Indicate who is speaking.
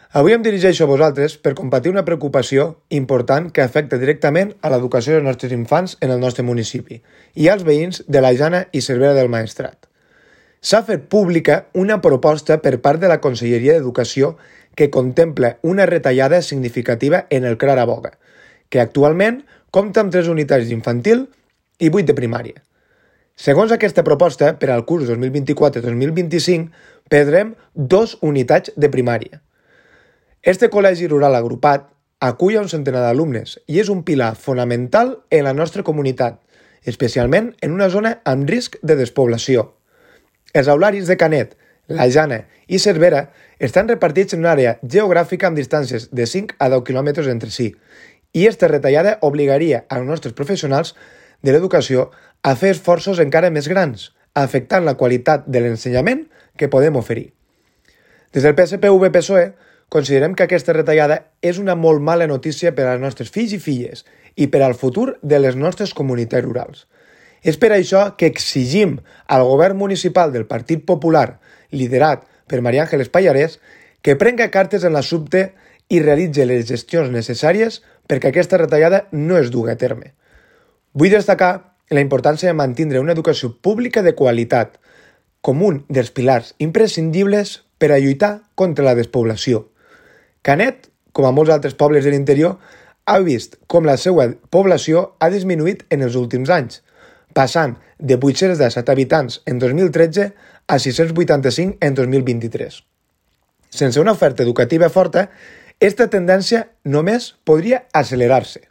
Speaker 1: Avui em dirigeixo a vosaltres per compartir una preocupació important que afecta directament a l'educació dels nostres infants en el nostre municipi i als veïns de la Jana i Cervera del Maestrat. S'ha fet pública una proposta per part de la Conselleria d'Educació que contempla una retallada significativa en el CRAR Boga, que actualment compta amb 3 unitats d'infantil i 8 de primària. Segons aquesta proposta, per al curs 2024-2025 perdrem 2 unitats de primària. Este col·legi rural agrupat acull a un centenar d'alumnes i és un pilar fonamental en la nostra comunitat, especialment en una zona amb risc de despoblació. Els aularis de Canet, la Jana i Cervera estan repartits en una àrea geogràfica amb distàncies de 5 a 10 quilòmetres entre si, i esta retallada obligaria als nostres professionals de l'educació a fer esforços encara més grans, afectant la qualitat de l'ensenyament que podem oferir. Des del PSPV-PSOE considerem que aquesta retallada és una molt mala notícia per als nostres fills i filles i per al futur de les nostres comunitats rurals. És per això que exigim al govern municipal del Partit Popular, liderat per María Ángeles Pallarés, que prenga cartes en l'assumpte i realitzi les gestions necessàries perquè aquesta retallada no es dugui a terme. Vull destacar la importància de mantenir una educació pública de qualitat com un dels pilars imprescindibles per a lluitar contra la despoblació. Canet, com a molts altres pobles de l'interior, ha vist com la seva població ha disminuït en els últims anys, passant de 817 habitants en 2013 a 685 en 2023. Sense una oferta educativa forta, aquesta tendència només podria accelerar-se.